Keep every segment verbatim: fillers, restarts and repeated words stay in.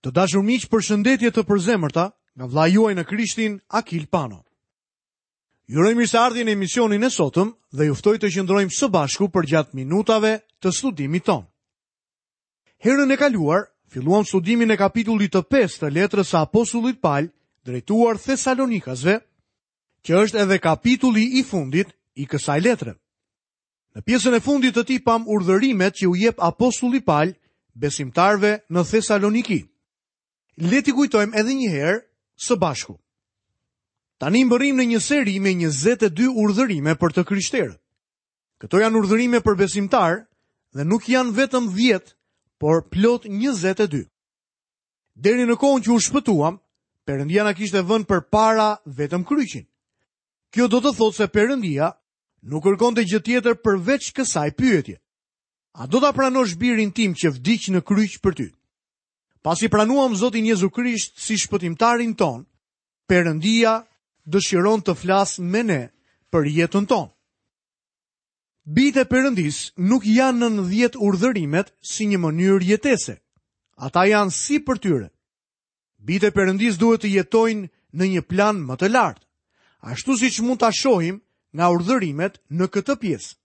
Të dashur miq, përshëndetje të përzemërta nga vëllai juaj në Krishtin, Akil Pano. Ju uroj mirëseardhjen në emisionin e sotëm dhe ju ftoj të qëndrojmë së bashku përgjatë minutave të studimit tonë. Herën e kaluar, filluam studimin e kapitullit të pestë të letrës së apostullit Pal drejtuar Thesalonikasve, që është edhe kapitulli i fundit i kësaj letre. Në pjesën e fundit të tij pam urdhërimet që u jep apostulli Pal besimtarëve në Thesaloniki. Le t'i kujtojmë edhe një herë së bashku. Tani mbërrim në një seri me njëzet e dy urdhërime për të krishterët. Këto janë urdhërime për besimtar dhe nuk janë vetëm dhjetë, por plot njëzet e dy. Deri në kohën që u shpëtuam, Perëndia na kishte vënë përpara vetëm kryqin. Kjo do të thotë se Perëndia nuk kërkonte gjë tjetër përveç kësaj pyetje. A do ta pranosh birin tim që vdiq në kryq për ty? Pasi pranuam Zotin Jezu Krisht si shpëtimtarin ton, Perëndia dëshiron të flasë me ne për jetën tonë. Bijtë e Perëndisë nuk janë nën dhjetë urdhërimet si një mënyrë jetese. Ata janë si për tyre. Bijtë e Perëndisë duhet të jetojnë në një plan më të lartë, ashtu siç mund ta shohim nga urdhërimet në këtë pjesë.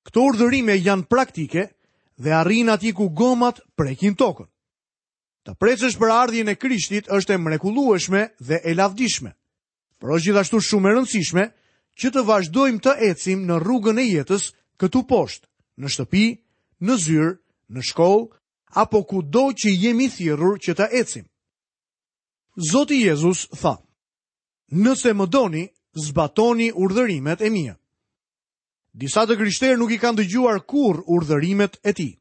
Këto urdhërime janë praktike dhe arrijnë atje ku gomat prekin tokën. Të precësh për ardhjen e Krishtit është e mrekullueshme dhe e lavdishme, por është gjithashtu shumë e rëndësishme që të vazhdojmë të ecim në rrugën e jetës këtu poshtë, në shtëpi, në zyrë, në shkollë, apo kudo që jemi thirrur që të ecim. Zoti Jezus tha: Nëse më doni, zbatoni urdhërimet e mia. Disa të krishterë nuk i kanë dëgjuar kurrë urdhërimet e tij.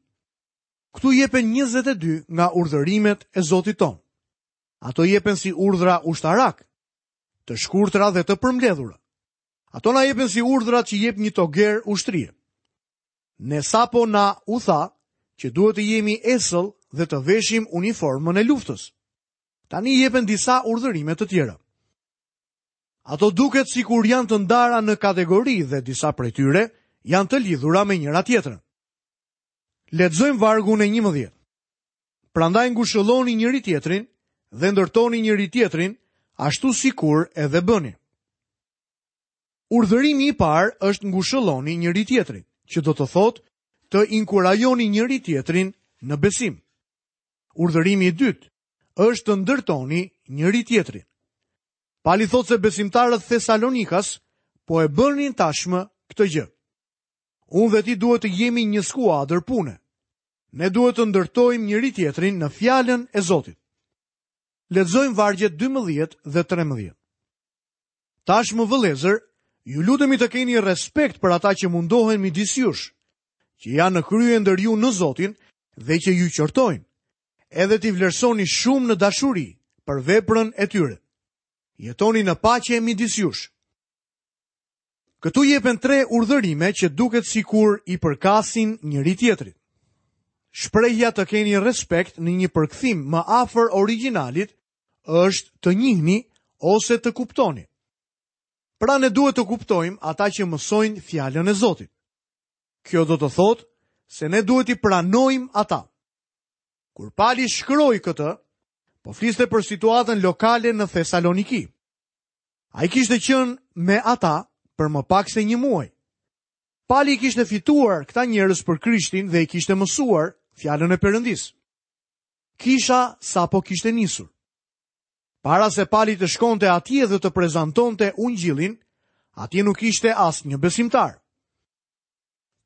Këtu jepen njëzet e dy nga urdhërimet e Zotit ton. Ato jepen si urdhra ushtarak, të shkurtra dhe të përmbledhura. Ato na jepen si urdhrat që jep një toger ushtrie. Ne sapo na u tha që duhet të jemi esëll dhe të veshim uniformën e luftës. Tani jepen disa urdhërime të tjera. Ato duket sikur janë të ndara në kategori dhe disa prej tyre janë të lidhura me njëra tjetrën. Lexojmë vargun e njëmbëdhjetë. Prandaj ngushëlloni njëri tjetrin dhe ndërtoni njëri tjetrin, ashtu sikur edhe bëni. Urdhërimi i parë është ngushëlloni njëri tjetrin, që do të thotë të inkurajoni njëri tjetrin në besim. Urdhërimi i dytë është të ndërtoni njëri tjetrin. Pali thotë se besimtarët Thesalonikas po e bënin tashmë këtë gjë. Unë dhe ti duhet të jemi një skuadër pune. Ne duhet të ndërtojmë njëri tjetrin në fjalën e Zotit. Lexojmë vargjet dymbëdhjetë dhe trembëdhjetë. Tashmë vëllezër, ju lutemi të keni respekt për ata që mundohen midis jush, që janë në krye ndër ju në Zotin dhe që ju qortojnë, edhe t'i vlerësoni shumë në dashuri për veprën e tyre. Jetoni në paqe midis jush. Këtu jepen tre urdhërime që duket sikur i përkasin njëri tjetrit. Shprehja të keni respekt në një përkthim më afër origjinalit është të njihni ose të kuptoni. Pra ne duhet të kuptojmë ata që mësojnë fjalën e Zotit. Kjo do të thotë se ne duhet t'i pranojmë ata. Kur Pali shkroi këtë, po fliste për situatën lokale në Thesaloniki. Ai kishte qenë me ata për më pak se një muaj. Pali kishte fituar këta njerëz për Krishtin dhe i kishte mësuar fjalën e Perëndisë. Kisha sapo kishte nisur. Para se Pali të shkonte atje dhe të prezantonte ungjillin, atje nuk ishte asnjë besimtar.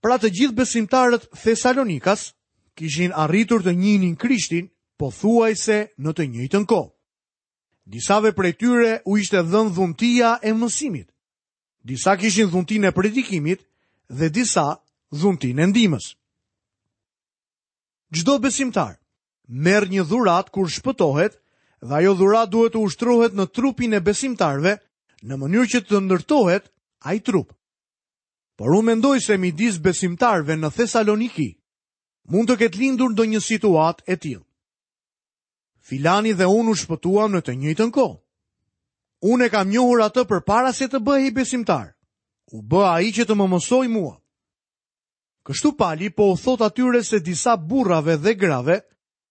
Pra të gjithë besimtarët Thesalonikas kishin arritur të njihnin Krishtin pothuajse në të njëjtën kohë. Disave prej tyre u ishte dhënë dhuntia e mësimit. Disa kishin dhuntinë e predikimit dhe disa dhuntinë e ndihmës. Çdo besimtar merr një dhuratë kur shpëtohet dhe ajo dhuratë duhet të ushtrohet në trupin e besimtarëve në mënyrë që të ndërtohet ai trup. Por unë mendoj se midis besimtarëve në Thesaloniki mund të ketë lindur ndonjë situatë e tillë. Filani dhe unë u shpëtuam në të njëjtën kohë. Unë e kam njohur atë përpara se të bëhej besimtar. U bë ai që të më mësoj mua. Kështu Pali po u thot atyre se disa burrave dhe grave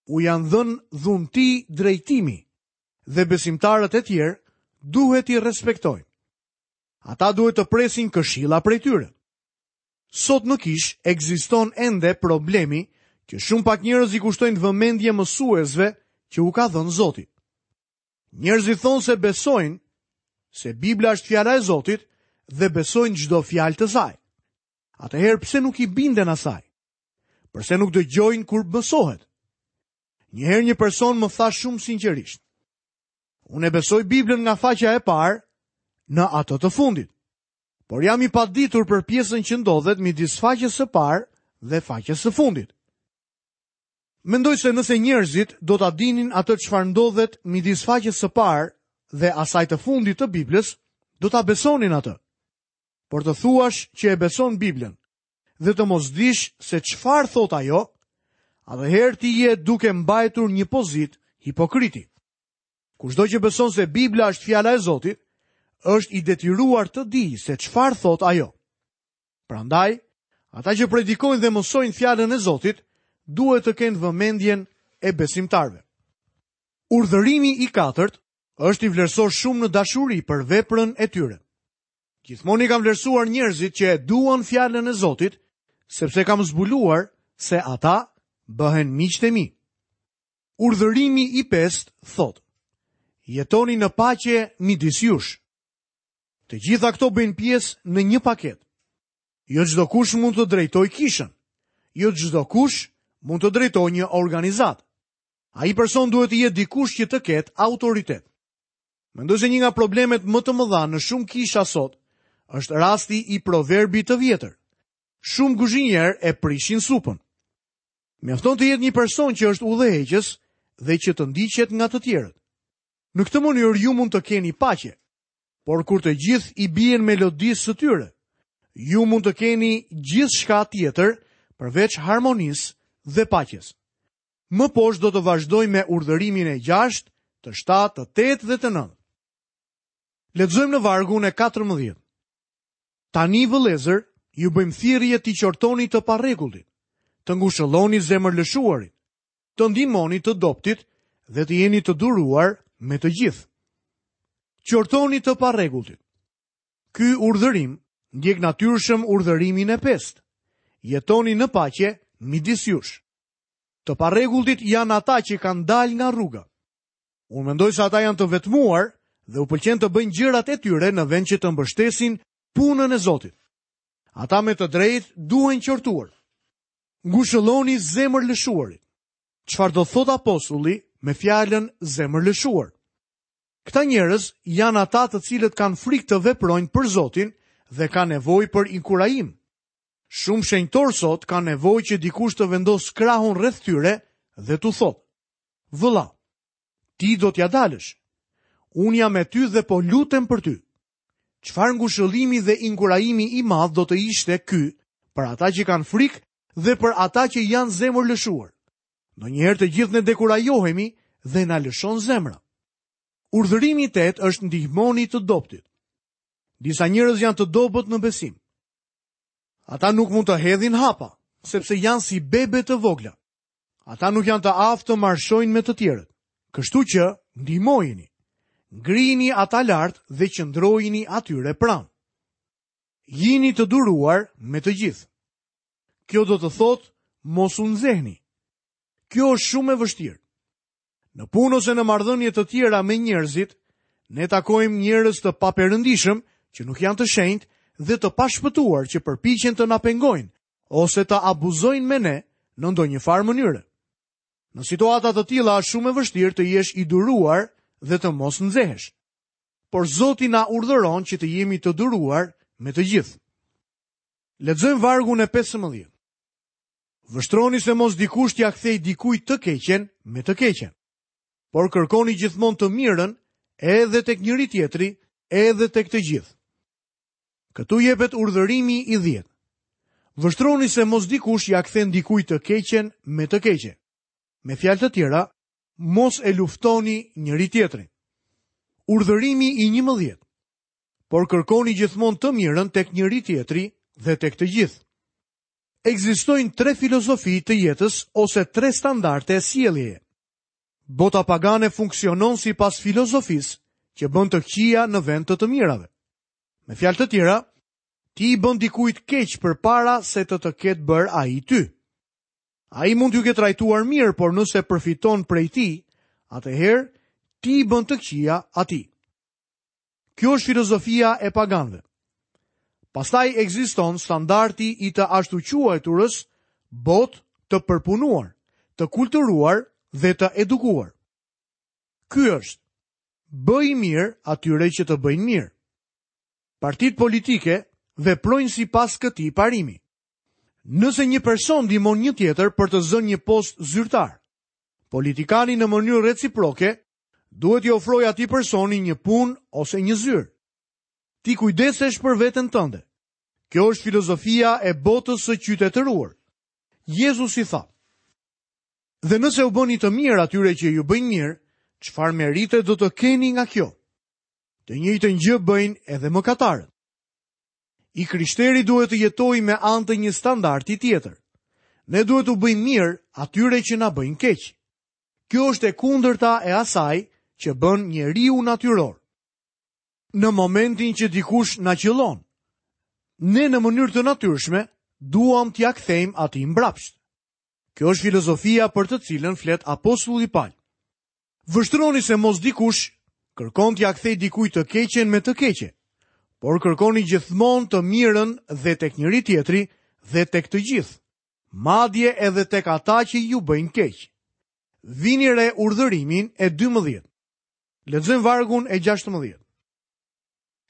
u janë dhënë dhunti drejtimi dhe besimtarët e tjerë duhet t'i respektojnë. Ata duhet të presin këshilla prej tyre. Sot në kishë ekziston ende problemi që shumë pak njerëz i kushtojnë vëmendje mësuesve që u ka dhënë Zoti. Njerëzit thonë se besojnë se Bibla është fjala e Zotit dhe besojnë çdo fjalë të saj. Atëherë pse nuk i binden asaj? Përse nuk dëgjojnë kur mësohet? Një herë një person më tha shumë sinqerisht: "Unë e besoj Biblën nga faqja e parë në atë të fundit, por jam i paditur për pjesën që ndodhet midis faqes së parë dhe faqes së fundit." Mendoj se nëse njerëzit do ta dinin atë çfarë ndodhet midis faqes së parë dhe asaj të fundit të Biblës, do ta besonin atë. Por të thuash që e beson Biblën dhe të mos dish se çfarë thot ajo, atëherë ti je duke mbajtur një pozitë hipokriti. Kushdo që beson se Bibla është fjala e Zotit, është i detyruar të dijë se çfarë thot ajo. Prandaj, ata që predikojnë dhe mësojnë fjalën e Zotit, duhet të kenë vëmendjen e besimtarëve. Urdhërimi i katërt është i vlerësosh shumë në dashuri për veprën e tyre. Gjithmonë i kam vlerësuar njerëzit që e duan fjalën e Zotit, sepse kam zbuluar se ata bëhen miqtë e mi. Urdhërimi i pestë thotë: Jetoni në paqe midis jush. Të gjitha këto bëjnë pjesë në një paketë. Jo çdo kush mund të drejtojë kishën. Jo çdo kush mund të drejtojë një organizatë. Ai person duhet të jetë dikush që të ketë autoritet. Mendoj se një nga problemet më të mëdha në shumë kisha sot është rasti i proverbit të vjetër. Shumë kuzhinierë e prishin supën. Mjafton të jetë një person që është udhëheqës dhe që të ndiqet nga të tjerët. Në këtë mënyrë ju mund të keni paqe, por kur të gjithë i bien melodisë së tyre, ju mund të keni gjithçka tjetër përveç harmonisë dhe paqes. Më poshtë do të vazhdojmë me urdhërimin e gjashtë, të shtatë, të tetë dhe të nëntë. Lexojmë në vargun e katërmbëdhjetë. Tani vëllezër, ju bëjmë thirrje t'i qortoni të parregulltit, të ngushëlloni zemërlëshuarit, të ndihmoni të dobtit dhe të jeni të duruar me të gjithë. Qortoni të parregulltit. Ky urdhërim ndjek natyrshëm urdhërimin e pestë. Jetoni në paqe midis jush. Të parregulltit janë ata që kanë dalë nga rruga. Unë mendoj se ata janë të vetmuar dhe u pëlqen të bëjnë gjërat e tyre në vend që të mbështesin punën e Zotit. Ata me të drejtë duhen qortuar. Ngushëlloni zemërlëshuarit. Çfarë do thot apostulli me fjalën zemërlëshuar? Këta njerëz janë ata të cilët kanë frikë të veprojnë për Zotin dhe kanë nevojë për inkurajim. Shumë shenjtor sot kanë nevojë që dikush të vendosë krahun rreth tyre dhe t'u thotë: "Vëlla, ti do t'ja dalësh. Unë jam me ty dhe po lutem për ty." Çfarë ngushëllimi dhe inkurajimi i madh do të ishte ky për ata që kanë frikë dhe për ata që janë zemërlëshuar. Ndonjëherë të gjithë ne dekurajohemi dhe na lëshon zemra. Urdhërimi i tetë është ndihmoni të dobtit. Disa njerëz janë të dobët në besim. Ata nuk mund të hedhin hapa, sepse janë si bebe të vogla. Ata nuk janë të aftë të marshojnë me të tjerët. Kështu që ndihmojini. Ngrini ata lart dhe qëndrojini atyre pranë. Jini të duruar me të gjithë. Kjo do të thotë mos u nxehni. Kjo është shumë e vështirë. Në punë ose në marrëdhënie të tjera me njerëzit, ne takojmë njerëz të paperëndishëm që nuk janë të shenjtë dhe të pashpëtuar që përpiqen të na pengojnë ose të abuzojnë me ne në ndonjë farë mënyre. Në situata të tilla është shumë e vështirë të jesh i duruar dhe të mos nxehesh. Por Zoti na urdhëron që të jemi të duruar me të gjithë. Lexojmë vargun e pesëmbëdhjetë. Vështroni se mos dikush t'ia kthej dikujt të keqen me të keqen, por kërkoni gjithmonë të mirën edhe tek njëri tjetri, edhe tek të gjithë. Këtu jepet urdhërimi i dhjetë. Vështroni se mos dikush ia kthen dikujt të keqen me të keqe. Me fjalë të tjera, mos e luftoni njëri tjetrin. Urdhërimi i njëmbëdhjetë. Por kërkoni gjithmonë të mirën tek njëri tjetri dhe tek të gjithë. Ekzistojnë tre filozofi të jetës ose tre standarde sjelljeje. Bota pagane funksionon sipas filozofisë që bën të këqija në vend të të mirave. Me fjalë të tjera, ti i bën dikujt keq përpara se të të ketë bërë ai ty. Ai mund t'ju ketë trajtuar mirë, por nëse përfiton prej tij, atëherë ti i bën të këqija atij. Kjo është filozofia e paganëve. Pastaj ekziston standardi i të ashtuquajturës botë të përpunuar, të kulturuar dhe të edukuar. Ky është: bëj mirë atyre që të bëjnë mirë. Partitë politike veprojnë sipas këtij parimi. Nëse një person ndihmon një tjetër për të zënë një post zyrtar, politikani në mënyrë reciproke duhet t'i ofrojë atij personi një punë ose një zyrë. Ti kujdesesh për veten tënde. Kjo është filozofia e botës së qytetëruar. Jezusi tha: Dhe nëse u bëni të mirë atyre që ju bëjnë mirë, çfarë merite do të keni nga kjo? Të njëjtën gjë bëjnë edhe mëkatarët. I krishteri duhet të jetojë me anë të një standardi tjetër. Ne duhet t'u bëjmë mirë atyre që na bëjnë keq. Kjo është e kundërta e asaj që bën njeriu natyror. Në momentin që dikush na qëllon, ne në mënyrë të natyrshme duam t'ia kthejmë atij mbrapsht. Kjo është filozofia për të cilën flet apostulli Paul. Vështroni se mos dikush kërkon t'ia kthej dikujt të keqen me të keqe, por kërkoni gjithmonë të mirën dhe tek njëri tjetri dhe tek të gjithë, madje edhe tek ata që ju bëjnë keq. Vini re urdhërimin e dymbëdhjetë. Lexojmë vargun e gjashtëmbëdhjetë.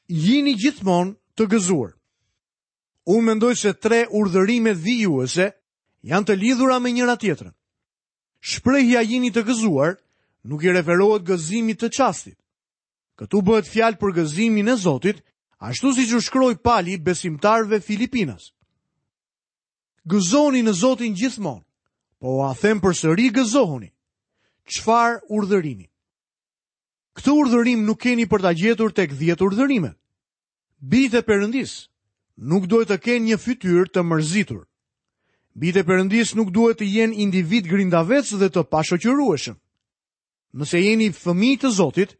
Jini gjithmonë të gëzuar. Unë mendoj se tre urdhërimet vijuese janë të lidhura me njëra tjetrën. Shprehja jini të gëzuar nuk i referohet gëzimit të çastit. Këtu bëhet fjalë për gëzimin e Zotit, ashtu siç u shkroi Pali besimtarëve Filipinas. Gëzoni në Zotin gjithmonë, po ua them përsëri gëzohuni. Çfarë urdhërimi? Këtë urdhërim nuk keni për ta gjetur tek dhjetë urdhërimet. Bijtë e Perëndisë nuk duhet të kenë një fytyrë të mërzitur. Bijtë e Perëndisë nuk duhet të jenë individ grindavec dhe të pashoqërueshëm. Nëse jeni fëmijë të Zotit,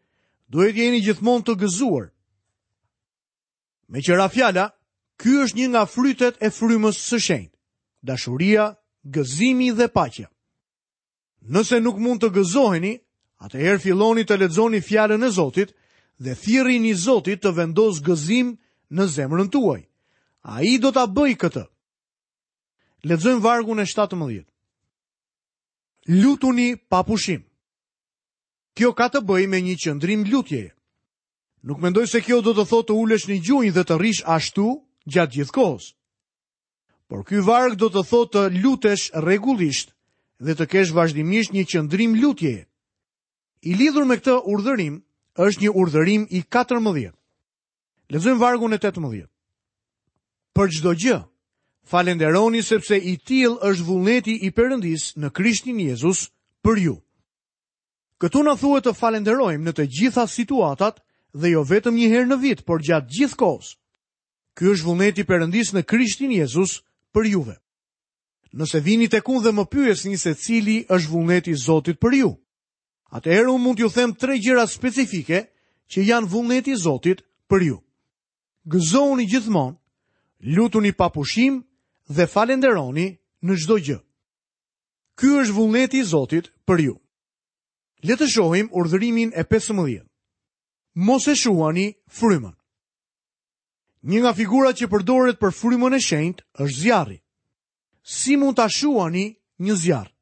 duhet jeni gjithmonë të gëzuar. Me qëra fjala, ky është një nga frytet e frymës së shenjtë: dashuria, gëzimi dhe paqja. Nëse nuk mund të gëzoheni, atëherë filloni të lexoni fjalën e Zotit dhe thirrini Zotit të vendosë gëzim në zemrën tuaj. Ai do ta bëjë këtë. Lexojmë vargun e shtatëmbëdhjetë. Lutuni pa pushim. Kjo ka të bëjë me një qëndrim lutjeje. Nuk mendoj se kjo do të thotë të ulesh në gjunjë dhe të rrish ashtu gjatë gjithë kohës. Por ky varg do të thotë të lutesh rregullisht dhe të kesh vazhdimisht një qëndrim lutjeje. I lidhur me këtë urdhërim është një urdhërim i katërmbëdhjetë. Lexojmë vargun e tetëmbëdhjetë. Për çdo gjë, falenderoni sepse i tillë është vullneti i Perëndisë në Krishtin Jezus për ju. Këtu na thuhet të falenderojmë në të gjitha situatat dhe jo vetëm një herë në vit, por gjatë gjithë kohës. Ky është vullneti i Perëndisë në Krishtin Jezus për juve. Nëse vini tek unë dhe më pyesni se cili është vullneti i Zotit për ju, atëherë unë mund t'ju them tre gjëra specifike që janë vullneti i Zotit për ju. Gëzohuni gjithmonë, lutuni pa pushim dhe falenderoni në çdo gjë. Ky është vullneti i Zotit për ju. Le të shohim urdhërimin e pesëmbëdhjetë. Mos e shuani frymën. Një nga figurat që përdoret për frymën e shenjtë është zjarri. Si mund ta shuani një zjarr?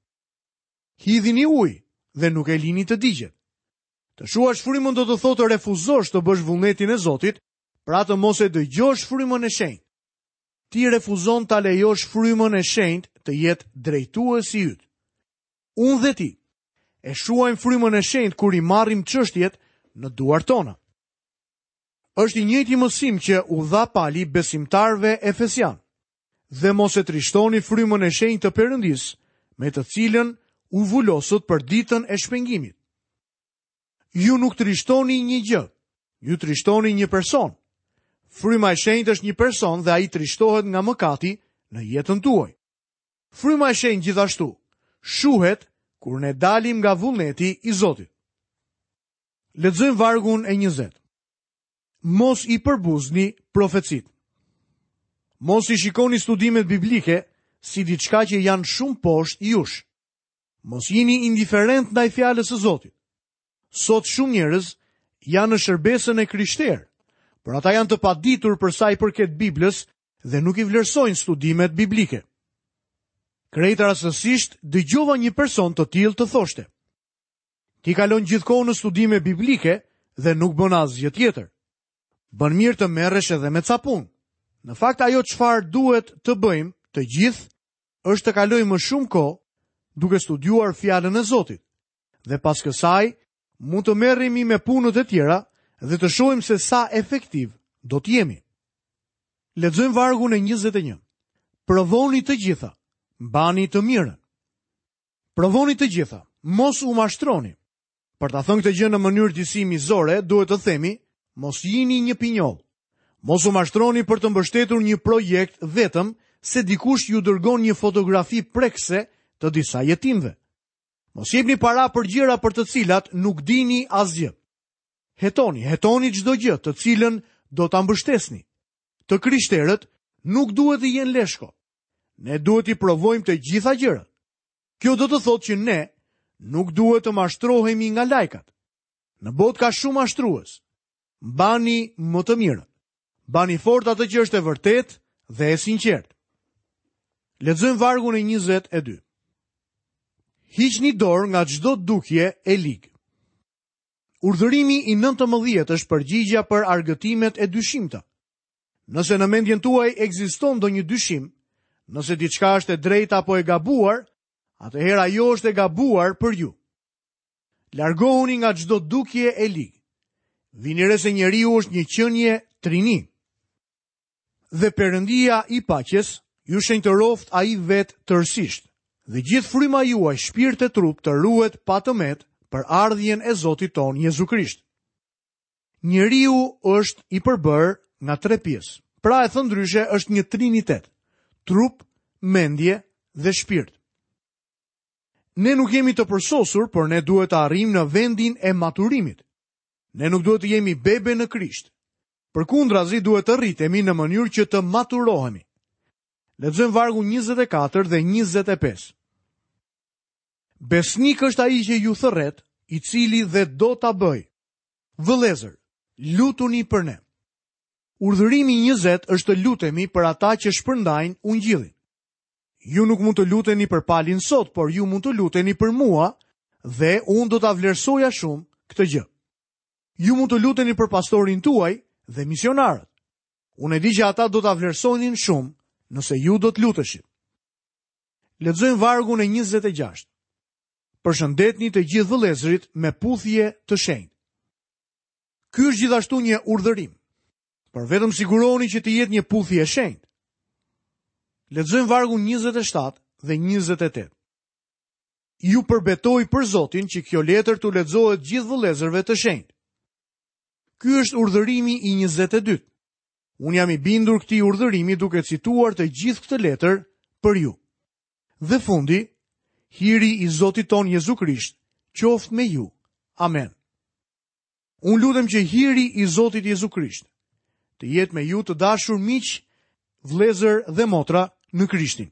Hidhini ujë dhe nuk e lini të digjet. Të shuash frymën do të thotë të refuzosh të bësh vullnetin e Zotit, pra të mos e dëgjosh frymën e shenjtë. Ti refuzon ta lejosh frymën e shenjtë të jetë drejtuesi yt. Unë dhe ti e shuajmë frymën e shenjtë kur i marrim çështjet në duart tona. Është i njëjti mësim që u dha Pali besimtarëve efesian. Dhe mos e trishtoni frymën e shenjtë të Perëndisë, me të cilën u vulosët për ditën e shpengimit. Ju nuk trishtoni një gjë, ju trishtoni një person. Fryma e shenjtë është një person dhe ai trishtohet nga mëkati në jetën tuaj. Fryma e shenjtë gjithashtu shuhet kur ne dalim nga vullneti i Zotit. Lexojmë vargun e njëzet. Mos i përbuzni profecitë. Mos i shikoni studimet biblike si diçka që janë shumë poshtë jush. Mos jini indiferent ndaj fjalës së Zotit. Sot shumë njerëz janë në shërbesën e krishterë, por ata janë të paditur për sa i përket Biblës dhe nuk i vlerësojnë studimet biblike. Krejt rastësisht dëgjova një person të tillë të thoshte: Ti kalon gjithkohë në studime biblike dhe nuk bën asgjë tjetër. Bën mirë të merresh edhe me ca punë. Në fakt ajo çfarë duhet të bëjmë të gjithë është të kalojmë më shumë kohë duke studiuar fjalën e Zotit. Dhe pas kësaj mund të merremi me punët e tjera dhe të shohim se sa efektiv do të jemi. Lexojmë vargun e njëzet e një. Provoni të gjitha, mbani të mirën. Provoni të gjitha, mos u mashtroni. Për ta thënë këtë gjë në mënyrë disi mizore, duhet të themi, mos jini një pinjoll. Mos u mashtroni për të mbështetur një projekt vetëm se dikush ju dërgon një fotografi prekse të disa jetimve. Mos jepni para për gjëra për të cilat nuk dini asgjë. Hetoni, hetoni çdo gjë të cilën do ta mbështesni. Të krishterët nuk duhet të jenë leshko. Ne duhet t'i provojmë të gjitha gjërat. Kjo do të thotë që ne nuk duhet të mashtrohemi nga lajkat. Në botë ka shumë mashtrues. Mbani më të mirën. Mbani fort atë që është e vërtetë dhe e sinqertë. Lexojmë vargun e njëzet e dy. Hiqni dorë nga çdo dukje e ligë. Urdhërimi i nëntëmbëdhjetë është përgjigjja për argëtimet e dyshimta. Nëse në mendjen tuaj ekziston ndonjë dyshim, nëse diçka është e drejtë apo e gabuar, atëherë ajo është e gabuar për ju. Largohuni nga çdo dukje e ligë. Vini re se njeriu është një qenie trini. Dhe Perëndia i paqes ju shenjtëroft ai vet tërësisht. Dhe gjithë fryma juaj, shpirt e trup, të ruhet pa të met për ardhjen e Zotit ton Jezu Krisht. Njeriu është i përbërë nga tre pjesë. Pra e thënë ndryshe është një trinitet: trup, mendje dhe shpirt. Ne nuk jemi të përsosur, por ne duhet të arrijmë në vendin e maturimit. Ne nuk duhet të jemi bebe në Krisht. Përkundrazi duhet të rritemi në mënyrë që të maturohemi. Lexojmë vargun njëzet e katër dhe njëzet e pesë. Besnik është ai që ju thërret, i cili dhe do ta bëj. Vëllezër, lutuni për ne. Urdhërimi njëzet është të lutemi për ata që shpërndajnë ungjillin. Ju nuk mund të luteni për Palin sot, por ju mund të luteni për mua dhe unë do ta vlerësoja shumë këtë gjë. Ju mund të luteni për pastorin tuaj dhe misionarët. Unë e di që ata do ta vlerësonin shumë nëse ju do të luteshit. Lexojmë vargun e njëzet e gjashtë. Përshëndetni të gjithë vëllezërit me puthje të shenjtë. Ky është gjithashtu një urdhërim, por vetëm sigurohuni që të jetë një puthje e shenjtë. Lexojmë vargun njëzet e shtatë dhe njëzet e tetë. Ju përbetoj për Zotin që kjo letër t'u lexohet gjithë vëllezërve të shenjtë. Ky është urdhërimi i njëzet e dytë. Unë jam i bindur këtij urdhërimi duke cituar të gjithë këtë letër për ju. Dhe fundi, hiri i Zotit ton Jezu Krisht, qoftë me ju. Amen. Unë lutem që hiri i Zotit Jezu Krisht të jetë me ju të dashur miq, vëllezër dhe motra në Krishtin.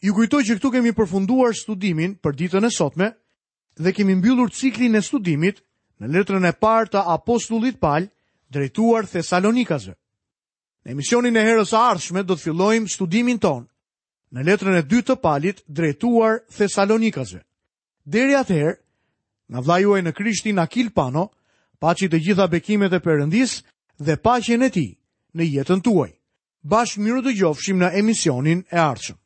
Ju kujtoj që këtu kemi përfunduar studimin për ditën e sotme dhe kemi mbyllur ciklin e studimit në letrën e parë të apostullit Pal drejtuar Thesalonikasve. Në emisionin e herës së ardhshme do të fillojmë studimin ton në letrën e dytë të Palit drejtuar Thesalonikasve. Deri atëherë, nga vëllai juaj në Krishtin Akil Pano, paçi të gjitha bekimet e Perëndisë dhe paqen e tij në jetën tuaj. Bashkë mirë dëgjofshim në emisionin e ardhshëm.